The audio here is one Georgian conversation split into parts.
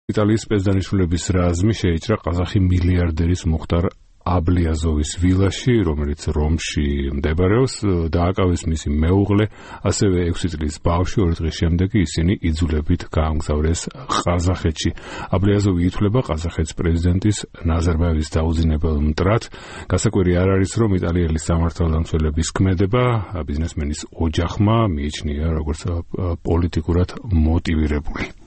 იტალიის სპეცდანიშვილების რაზმი შეიჭრა ყაზახი მილიარდერის მუხტარ აბლიაზოვის ვილაში, რომელიც რომში მდებარეობს, დააკავეს მისი მეუღლე, ასევე 6 წლის ბავშვი, 2 დღის შემდეგ ისინი იძულებით გაამგზავრეს ყაზახეთში. აბლიაზოვი ითვლება ყაზახეთის პრეზიდენტის ნაზარბაევის დაუძინებელ მტრად. გასაკვირი არ არის, რომ იტალიელი სამართალდამცველების ქმედება ბიზნესმენის ოჯახმა მიიჩნია როგორც პოლიტიკურად მოტივირებული.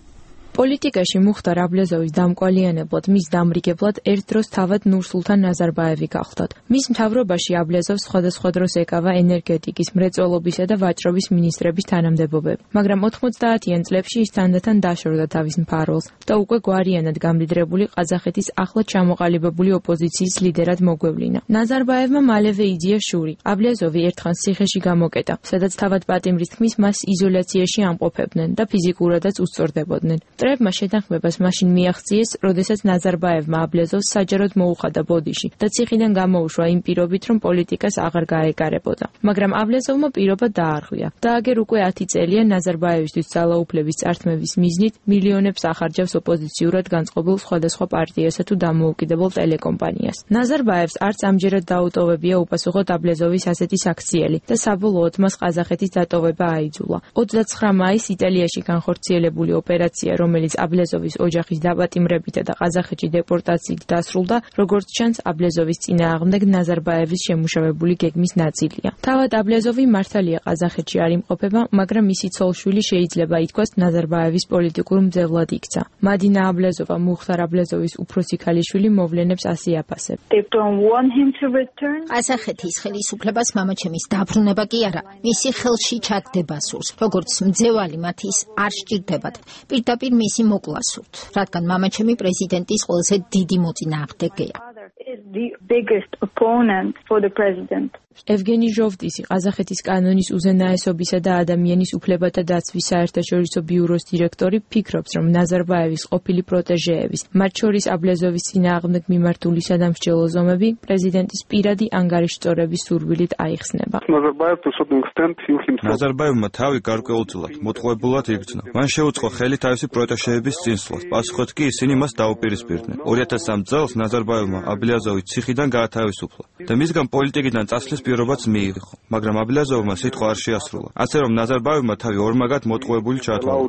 პოლიტიკაში მუხტარ აბლიაზოვის დამკვალიანებლად, მის დამრიგებლად ერთ დროს თავად ნურსულთან ნაზარბაევი გახლდათ. მის მთავრობაში აბლიაზოვს სხვადასხვა დროს ეკავა ენერგეტიკის, მრეწველობისა და ვაჭრობის მინისტრების თანამდებობები, მაგრამ 90-იან წლებში ის თანდათან დაშორდა თავის მფარველს და უკვე გვარიანად გამდიდრებული ყაზახეთის ახლად ჩამოყალიბებული ოპოზიციის ლიდერად მოგვევლინა. ნაზარბაევმა მალევე იძია შური. აბლიაზოვი ერთხანს ციხეში გამოკეტა, სადაც თავად პატიმრის თქმის მას იზოლაციაში ამყოფებდნენ და ფიზიკურადაც უსწორდებოდნენ. მტრებმა შეთანხმებას მაშინ მიაღწიეს, როდესაც ნაზარბაევმა აბლიაზოვს საჯაროდ მოუხადა ბოდიში და ციხიდან გამოუშვა იმ პირობით, რომ პოლიტიკას აღარ გაეკარებოდა. მაგრამ აბლიაზოვმა პირობა დაარღვია. და აგერ უკვე 10 წელია ნაზარბაევისთვის ძალაუფლების წართმევის მიზნით მილიონებს ახარჯავს ოპოზიციურად განწყობილ სხვადასხვა პარტიასა თუ დამოუკიდებელ ტელეკომპანიას. ნაზარბაევს არც ამჯერად დაუტოვებია უპასუხოდ აბლიაზოვის ასეთი საქციელი და საბოლოოდ მას ყაზახეთის დატოვება აიძულა. 29 მაისს იტალიაში განხორციელებული ოპერაცია, რომელიც აბლიაზოვის ოჯახის დაპატიმრებითა და ყაზახეთში დეპორტაციით დასრულდა, როგორც ჩანს, აბლიაზოვის წინააღმდეგ ნაზარბაევის შემუშავებული გეგმის ნაწილია. თავად აბლიაზოვი მართალია ყაზახეთში არ იმყოფება, მაგრამ მისი ცოლ-შვილი შეიძლება ითქვას ნაზარბაევის პოლიტიკურ მძევლად იქცა. მადინა აბლიაზოვა მუხტარ აბლიაზოვის უფროსი ქალიშვილი მოვლენებს ასე აფასებს. ყაზახეთის ხელისუფლებას მამაჩემის დაბრუნება კი არა, მისი ხელში ჩაგდება სურს, როგორც მძევალი მათ ის არ სჭირდებათ. პირდაპირ მისი მოკლა სურთ, რადგან მამაჩემი პრეზიდენტის ყველაზე დიდი მოწინააღმდეგეა. ევგენი ჟოვტისი, ყაზახეთის კანონის უზენაესობისა და ადამიანის უფლებათა დაცვის საერთაშორისო ბიუროს დირექტორი, ფიქრობს, რომ ნაზარბაევის ყოფილი პროტეჟეების, მათ შორის აბლიაზოვის წინააღმდეგ მიმართული სადამსჯელო ზომები პრეზიდენტის პირადი ანგარიშწორების სურვილით აიხსნება. ნაზარბაევმა თავი გარკვეულწილად, მოტყუებულად იგრძნო. მან შეუწყო ხელი თავისი პროტეჟეების წინსვლას, პასუხად კი ისინი მას დაუპირისპირდნენ. 2003 წელს ნაზარბაევმა აბლიაზოვი ციხიდან გაათავისუფლა და მისგან პოლიტიკიდან წასვლის პირობაც მიიღო, მაგრამ აბლიაზოვმა სიტყვა არ შეასრულა. ასე რომ ნაზარბაევმა თავი ორმაგად მოტყუებული ჩაათვალა.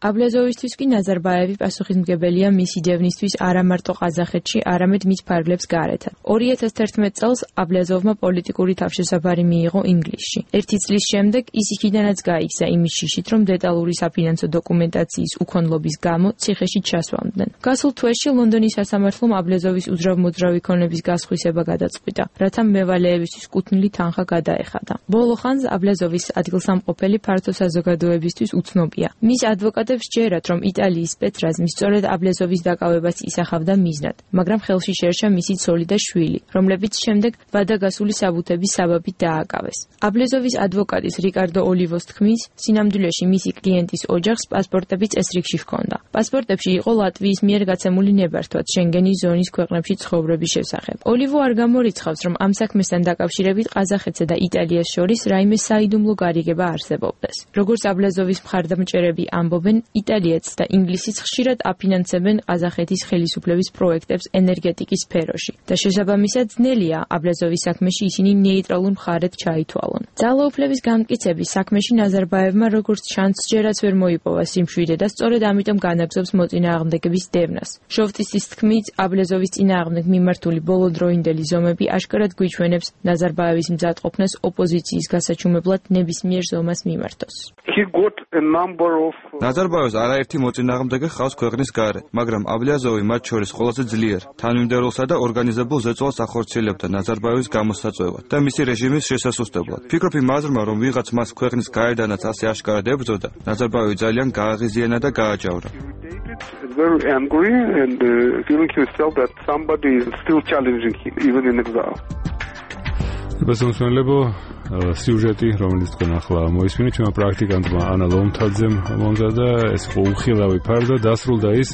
აბლიაზოვისთვის კი ნაზარბაევი პასუხისმგებელია მისი დევნისთვის არა მარტო ყაზახეთში, არამედ მის ფარგლებს გარეთაც. 2011 წელს აბლიაზოვმა პოლიტიკური თავშესაფარი მიიღო ინგლისში. 1 წლის შემდეგ ის იქიდანაც გაიქცა იმის შიშით, რომ დეტალური საფინანსო დოკუმენტაციის უქონლობის გამო ციხეში ჩასვამდნენ. გასულ თვეში ლონდონის სასამართლომ აბლიაზოვის უძრავ-მოძრავი ქონების გასხვისება გადაწყვიტა, რათა მევალეებისთვის კუთვნილი თანხა გადაეხადა. ბოლო ხანს აბლიაზოვის ადგილსამყოფელი ფართო საზოგადოებისთვის უცნობია. მის ადვოკატებს ჯერათ, რომ იტალიის სპეცრაზმი სწორედ აბლიაზოვის დაკავებას ისახავდა მიზნად, მაგრამ ხელში შერშა მისი ცოლი და შვილი, რომლებიც შემდეგ ვადაგასული საბუთების საბაბით დააკავეს. აბლიაზოვის ადვოკატის რიკარდო ოლივოს თქმის, სინამდვილეში მისი კლიენტის ოჯახს პასპორტები წესრიგში ჰქონდა. პასპორტებში იყო ლატვიის მიერ გაცემული ნებართვაც შენგენის ზონის ქვეყნებში ცხოვრების შესახებ. ოლივო არ გამორიცხავს, რომ ამ საქმესთან დაკავშირებით ყაზახეთსა და იტალიას შორის რაიმე საიდუმლო გარიგება არსებობდეს. როგორც აბლიაზოვის მხარდამჭერები ამბობენ, იტალიაც და ინგლისიც ხშირად აფინანსებენ ყაზახეთის ხელისუფლების პროექტებს ენერგეტიკის სფეროში და შესაბამისად ძნელია აბლიაზოვის საქმეში ისინი ნეიტრალურ მხარედ ჩაითვალონ. ძალაუფლების განმტკიცების საქმეში ნაზარბაევმა როგორც ჩანს ჯერაც ვერ მოიპოვა სიმშვიდე და სწორედ ამიტომ განაგზობს მოწინააღმდეგების დევნას. ჟოვტისის თქმით, აბლიაზოვის წინააღმდეგ მიმართული ბოლოდროინდელი ზომები აშკარად გვიჩვენებს ნაზარბაევის მზადყოფნას ოპოზიციის გასაჩუმებლად ნებისმიერ ზომას მიმართოს. ნაზარბაევს არაერთი მოწინააღმდეგე ჰყავს ქვეყნის გარეთ, მაგრამ აბლიაზოვი მათ შორის ყველაზე ძლიერ, თანმიმდევრულსა და ორგანიზებულ ზეწოლას ახორციელებდა ნაზარბაევის გამოსაწვევად და მისი რეჟიმის შესასუსტებლად. ფიქრობ იმ აზრმა, რომ ვიღაც მას ქვეყნის გარედანაც ასე აშკარად ებრძოდა, ნაზარბაევი ძალიან გააღიზიანა და გააჯავრა. Very angry and feeling himself that somebody is still challenging him even in exile. ბესონსმენლებო სიუჟეტი, რომელიც თქვენ ახლა მოისმინეთ, ჩვენმა პრაქტიკანტმა ანა ლომთაძემ მომზადა, ეს იყო უხილავი ფარდა, დასრულდა ის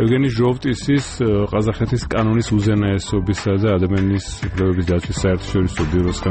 ევგენი ჟოვტისის ყაზახეთის კანონის უზენაესობისა და ადამიანის უფლებების დაცვის საერთაშორისო ბიუროს